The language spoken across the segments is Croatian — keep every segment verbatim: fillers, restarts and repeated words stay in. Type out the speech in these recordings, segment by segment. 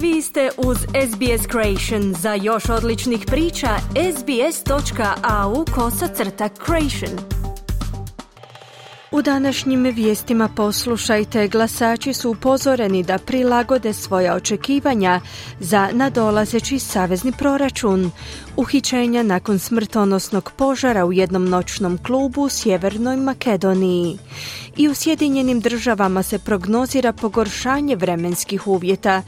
Vi ste uz S B S Creation. Za još odličnih priča, sbs.au kosacrta creation. U današnjim vijestima poslušajte, glasači su upozoreni da prilagode svoja očekivanja za nadolazeći savezni proračun. Uhićenja nakon smrtonosnog požara u jednom noćnom klubu u Sjevernoj Makedoniji. I u Sjedinjenim državama se prognozira pogoršanje vremenskih uvjeta,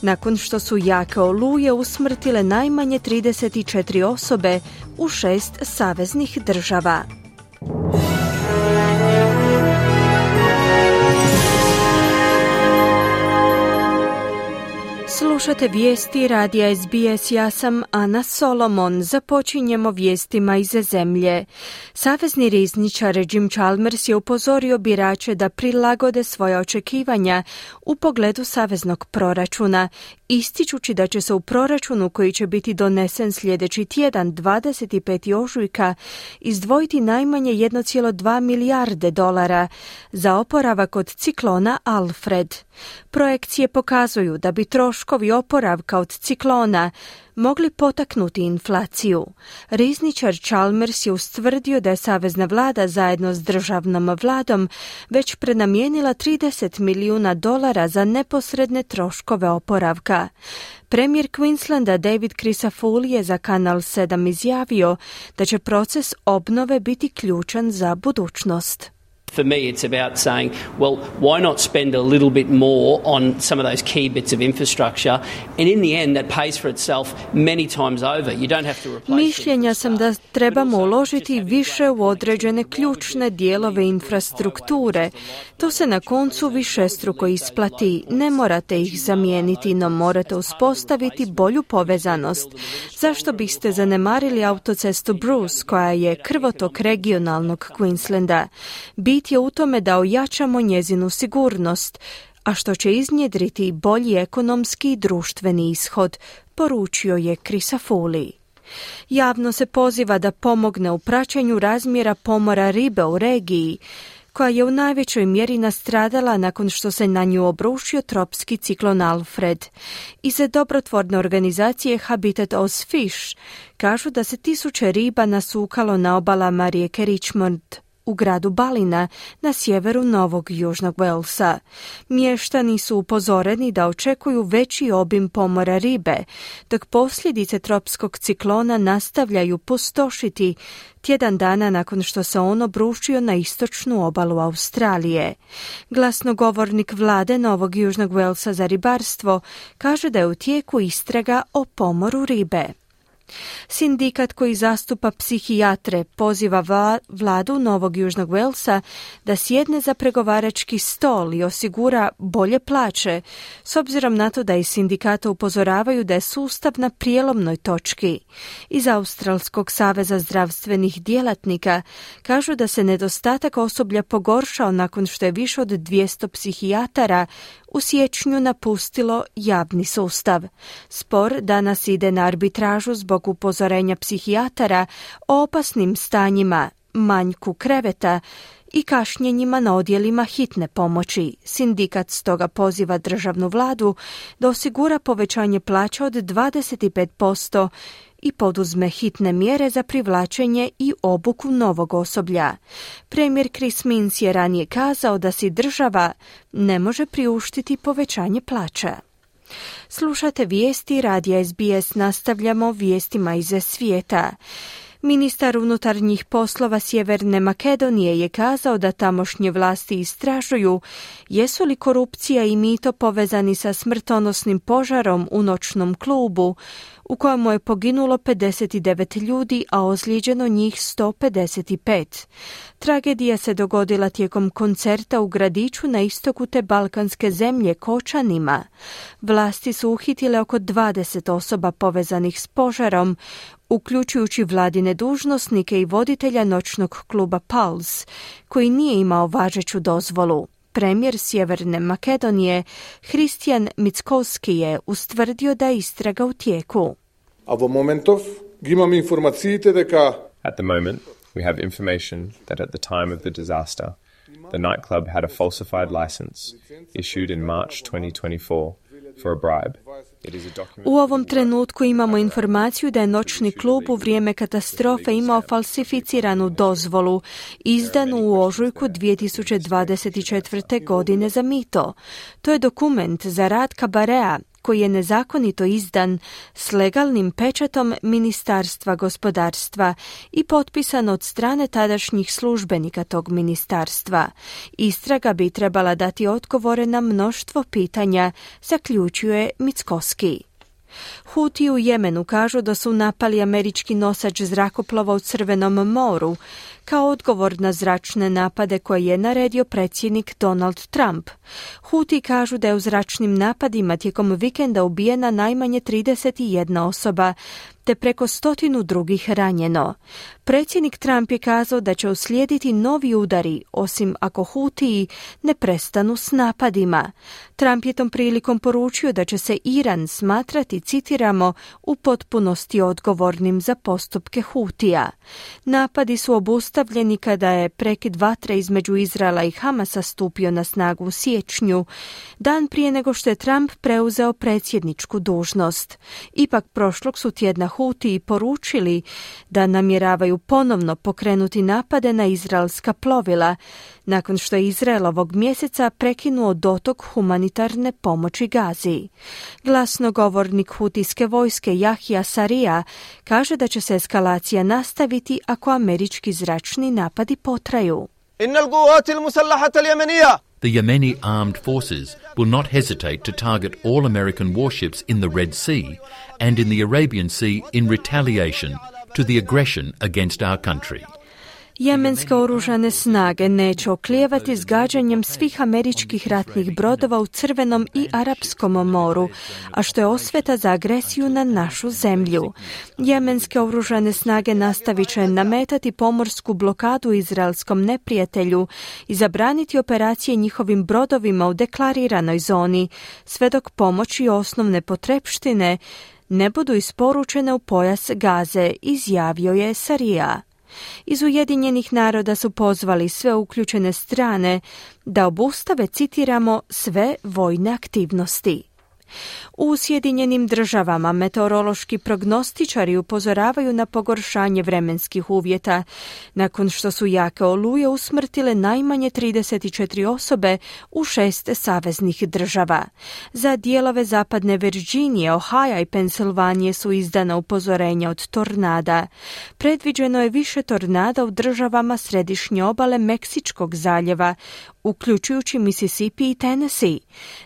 nakon što su jake oluje usmrtile najmanje trideset četiri osobe u šest saveznih država. Slušate vijesti radija S B S, ja sam Ana Solomon. Započinjemo vijestima iz zemlje. Savezni rizničar Jim Chalmers je upozorio birače da prilagode svoja očekivanja u pogledu saveznog proračuna, ističući da će se u proračunu koji će biti donesen sljedeći tjedan, dvadeset petog ožujka, izdvojiti najmanje jedan zarez dva milijarde dolara za oporavak od ciklona Alfred. Projekcije pokazuju da bi troškovi oporavka od ciklona mogli potaknuti inflaciju. Rizničar Chalmers je ustvrdio da je savezna vlada zajedno s državnom vladom već prenamijenila trideset milijuna dolara za neposredne troškove oporavka. Premijer Queenslanda David Crisafulli je za Kanal sedam izjavio da će proces obnove biti ključan za budućnost. For me, it's about saying, well, why not spend a little bit more on some of those key bits of infrastructure, and in the end that pays for itself many times over. You don't have to replace. Mišljenja sam da trebamo uložiti više u određene ključne dijelove infrastrukture. To se na koncu višestruko isplati. Ne morate ih zamijeniti, no morate uspostaviti bolju povezanost. Zašto biste zanemarili autocestu Bruce, koja je krvotok regionalnog Queenslanda? Bit je u tome da ojačamo njezinu sigurnost, a što će iznjedriti bolji ekonomski i društveni ishod, poručio je Crisafulli. Javno se poziva da pomogne u praćenju razmjera pomora ribe u regiji, koja je u najvećoj mjeri nastradala nakon što se na nju obrušio tropski ciklon Alfred. Iz dobrotvorne organizacije Habitat Oz Fish kažu da se tisuće riba nasukalo na obalama rijeke Richmond u gradu Ballina na sjeveru Novog Južnog Walesa. Mještani su upozoreni da očekuju veći obim pomora ribe, dok posljedice tropskog ciklona nastavljaju pustošiti tjedan dana nakon što se on obrušio na istočnu obalu Australije. Glasnogovornik vlade Novog Južnog Walesa za ribarstvo kaže da je u tijeku istraga o pomoru ribe. Sindikat koji zastupa psihijatre poziva vla, vladu Novog Južnog Walesa da sjedne za pregovarački stol i osigura bolje plaće, s obzirom na to da iz sindikata upozoravaju da je sustav na prijelomnoj točki. Iz Australskog saveza zdravstvenih djelatnika kažu da se nedostatak osoblja pogoršao nakon što je više od dvjesto psihijatara u siječnju napustilo javni sustav. Spor danas ide na arbitražu zbog upozorenja psihijatara o opasnim stanjima, manjku kreveta i kašnjenjima na odjelima hitne pomoći. Sindikat stoga poziva državnu vladu da osigura povećanje plaća od dvadeset pet posto i poduzme hitne mjere za privlačenje i obuku novog osoblja. Premijer Chris Minns je ranije kazao da si država ne može priuštiti povećanje plaća. Slušate vijesti radija S B S, nastavljamo vijestima iz svijeta. Ministar unutarnjih poslova Sjeverne Makedonije je kazao da tamošnje vlasti istražuju jesu li korupcija i mito povezani sa smrtonosnim požarom u noćnom klubu u kojemu je poginulo pedeset devet ljudi, a ozlijeđeno njih sto pedeset pet. Tragedija se dogodila tijekom koncerta u gradiću na istoku te balkanske zemlje Kočanima. Vlasti su uhitile oko dvadeset osoba povezanih s požarom, uključujući vladine dužnosnike i voditelja noćnog kluba Pulse, koji nije imao važeću dozvolu. Premijer Sjeverne Makedonije Hristijan Mickoski je ustvrdio da je istraga u tijeku. At the moment, we have information that at the time of the disaster, the nightclub had a falsified license issued in March twenty twenty-four for a bribe U ovom trenutku imamo informaciju da je noćni klub u vrijeme katastrofe imao falsificiranu dozvolu, izdanu u ožujku dvije tisuće dvadeset četvrte. godine za mito. To je dokument za rad kabarea koji je nezakonito izdan s legalnim pečatom Ministarstva gospodarstva i potpisan od strane tadašnjih službenika tog ministarstva. Istraga bi trebala dati odgovore na mnoštvo pitanja, zaključuje Mickoski. Huti u Jemenu kažu da su napali američki nosač zrakoplova u Crvenom moru kao odgovor na zračne napade koje je naredio predsjednik Donald Trump. Huti kažu da je u zračnim napadima tijekom vikenda ubijena najmanje trideset jedna osoba, te preko stotinu drugih ranjeno. Predsjednik Trump je kazao da će uslijediti novi udari, osim ako Hutiji ne prestanu s napadima. Trump je tom prilikom poručio da će se Iran smatrati, citiramo, u potpunosti odgovornim za postupke Hutija. Napadi su obustavljeni kada je prekid vatre između Izraela i Hamasa stupio na snagu u siječnju, dan prije nego što je Trump preuzeo predsjedničku dužnost. Ipak prošlog su tjedna Hutiji poručili da namjeravaju ponovno pokrenuti napade na izraelska plovila, nakon što je Izrael ovog mjeseca prekinuo dotok humanitarne pomoći Gazi. Glasnogovornik hutijske vojske Jahja Sarija kaže da će se eskalacija nastaviti ako američki zračni napadi potraju. The Yemeni armed forces will not hesitate to target all American warships in the Red Sea and in the Arabian Sea in retaliation to the aggression against our country. Jemenske oružane snage neće oklijevati s gađanjem svih američkih ratnih brodova u Crvenom i Arapskom moru, a što je osveta za agresiju na našu zemlju. Jemenske oružane snage nastavit će nametati pomorsku blokadu izraelskom neprijatelju i zabraniti operacije njihovim brodovima u deklariranoj zoni, sve dok pomoć i osnovne potrepštine ne budu isporučene u pojas Gaze, izjavio je Sarija. Iz Ujedinjenih naroda su pozvali sve uključene strane da obustave, citiramo, sve vojne aktivnosti. U Sjedinjenim državama meteorološki prognostičari upozoravaju na pogoršanje vremenskih uvjeta, nakon što su jake oluje usmrtile najmanje trideset četiri osobe u šest saveznih država. Za dijelove zapadne Virginije, Ohaja i Pensilvanije su izdana upozorenja od tornada. Predviđeno je više tornada u državama središnje obale Meksičkog zaljeva, uključujući Mississippi i Tennessee.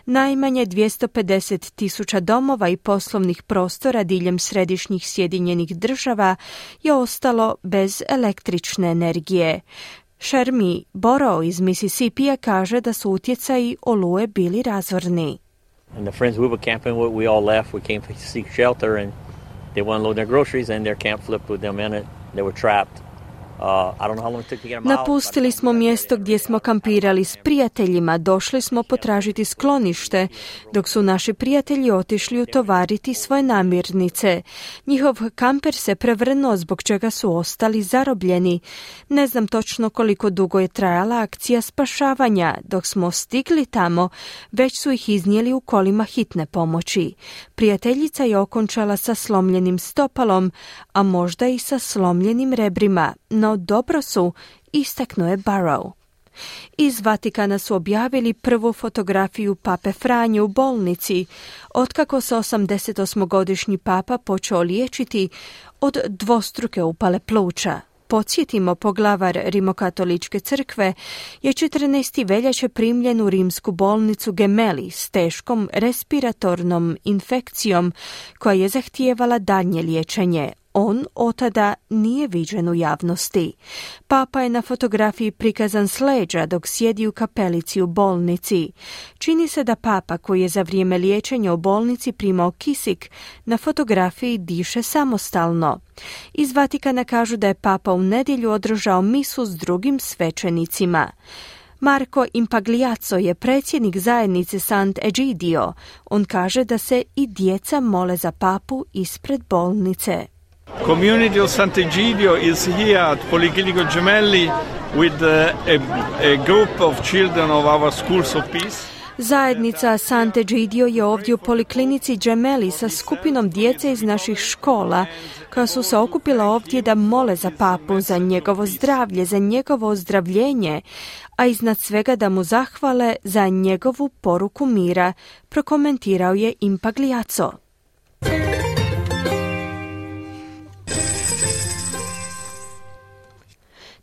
Najmanje dvjesto pedeset tisuća domova i poslovnih prostora diljem središnjih Sjedinjenih država je ostalo bez električne energije. Shermi Borough iz Mississippija kaže da su utjecaji oluje bili razorni. And the friends we were camping with, we all left. We came to seek shelter and they went to load their groceries and their camp flipped with them in it. They were trapped. Napustili smo mjesto gdje smo kampirali s prijateljima, došli smo potražiti sklonište, dok su naši prijatelji otišli utovariti svoje namirnice. Njihov kamper se prevrnuo, zbog čega su ostali zarobljeni. Ne znam točno koliko dugo je trajala akcija spašavanja. Dok smo stigli tamo, već su ih iznijeli u kolima hitne pomoći. Prijateljica je okončala sa slomljenim stopalom, a možda i sa slomljenim rebrima, no dobro su, istaknuo je Barrow. Iz Vatikana su objavili prvu fotografiju pape Franje u bolnici, otkako se osamdesetosmogodišnji papa počeo liječiti od dvostruke upale pluća. Podsjetimo, poglavar Rimokatoličke crkve je četrnaestog veljače primljen u rimsku bolnicu Gemelli s teškom respiratornom infekcijom koja je zahtijevala daljnje liječenje. On otada nije viđen u javnosti. Papa je na fotografiji prikazan s leđa dok sjedi u kapelici u bolnici. Čini se da papa, koji je za vrijeme liječenja u bolnici primao kisik, na fotografiji diše samostalno. Iz Vatikana kažu da je papa u nedjelju održao misu s drugim svećenicima. Marco Impagliazzo je predsjednik zajednice Sant'Egidio. On kaže da se i djeca mole za papu ispred bolnice. Community of Sant'Egidio is here at Policlinico Gemelli with a, a, a group of children of our schools of peace. Zajednica Sant'Egidio je ovdje u poliklinici Gemelli sa skupinom djece iz naših škola koja su se okupila ovdje da mole za papu, za njegovo zdravlje, za njegovo ozdravljenje, a iznad svega da mu zahvale za njegovu poruku mira, prokomentirao je Impagliazzo.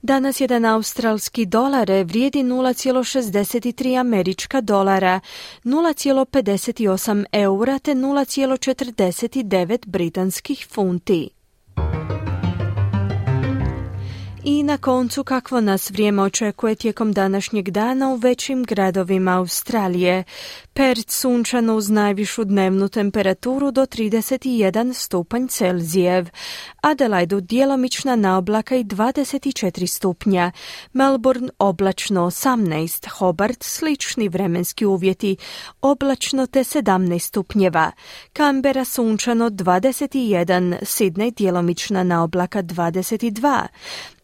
Danas jedan australski dolar vrijedi nula zarez šezdeset tri američka dolara, nula zarez pedeset osam eura te nula zarez četrdeset devet britanskih funti. I na koncu kakvo nas vrijeme očekuje tijekom današnjeg dana u većim gradovima Australije. Perth sunčano uz najvišu dnevnu temperaturu do trideset jedan stupanj Celzijev. Adelaidu djelomična naoblaka i dvadeset četiri stupnja. Melbourne oblačno osamnaest, Hobart slični vremenski uvjeti, oblačno te sedamnaest stupnjeva. Canberra sunčano dvadeset jedan, Sydney djelomična naoblaka dvadeset dva.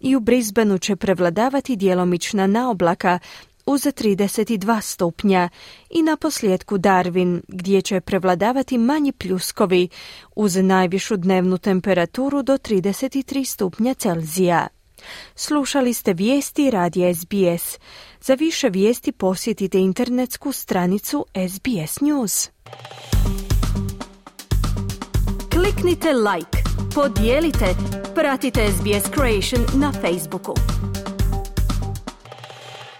I u Brisbaneu će prevladavati djelomična naoblaka uz trideset dva stupnja i na posljedku Darwin gdje će prevladavati manji pljuskovi uz najvišu dnevnu temperaturu do trideset tri stupnja Celzija. Slušali ste vijesti radija S B S. Za više vijesti posjetite internetsku stranicu S B S News. Kliknite like, podijelite, pratite S B S Creation na Facebooku.